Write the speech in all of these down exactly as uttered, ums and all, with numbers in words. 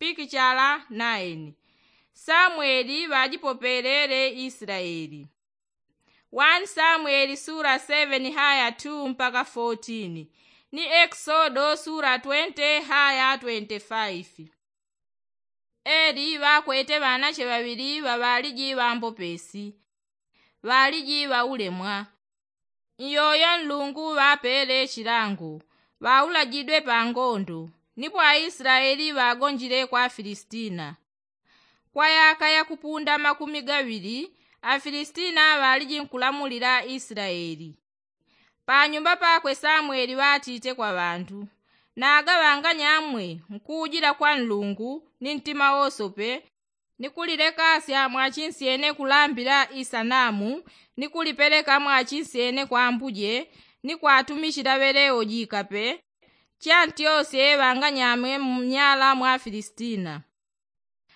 Pikichala naini. Samweli ŵajipopelele islaeli. Wani samweli sula seveni haya tu mpaka fotini, ni ekisodo sula twente haya twente faifi. Eli ŵakwete ŵanache ŵaŵili ŵaŵaliji ŵambopesi, ŵaliji ŵaulemwa. Iyoyo nlungu ŵapele chilango, ŵaulajidwe pa ngondo. Nipo aislaeli ŵagonjile kwa afilistina. Kwa yaka yakupunda makumi gaŵili, afilistina ŵaliji nkulamulila islaeli. Panyumba pakwe samweli ŵatite kwa ŵandu, naga ŵanganyamwe nkuujila kwa nlungu ni ntima wosope, ni kulilekasya mwachinsyene kulambila isanamu, ni kulipeleka mwachinsyene kwa ambuje, ni kwatumichila ŵeleo jikape. Chantyosye ŵanganyamwe mnyala mwa afilistina.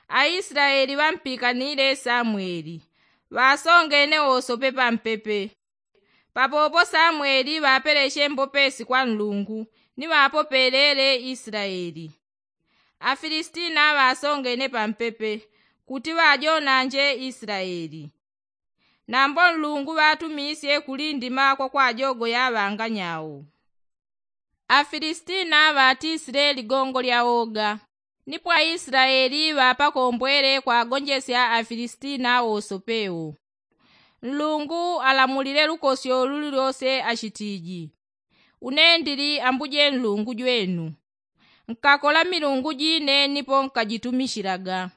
Aislaeli ŵampikanile samweli, ŵasongene wosope pampepe. Papopo samweli ŵapeleche mbopesi kwa nlungu, ni ŵapopelele islaeli. Afilistina ŵasongene pampepe, kuti ŵajonanje islaeli. Nambo nlungu ŵatumisye kulindima kwa kwajogoya ŵanganyau. Afilistina ŵatisile ligongo lya woga. Nipo aislaeli ŵapakombwele kwagonjesya afilistina wosopewo. Nlungu alamulile lukosyo lulilose achitiji, une ndili ambuje nlungu jwenu. Nkakola milungu jine nipo nkajitumichilaga.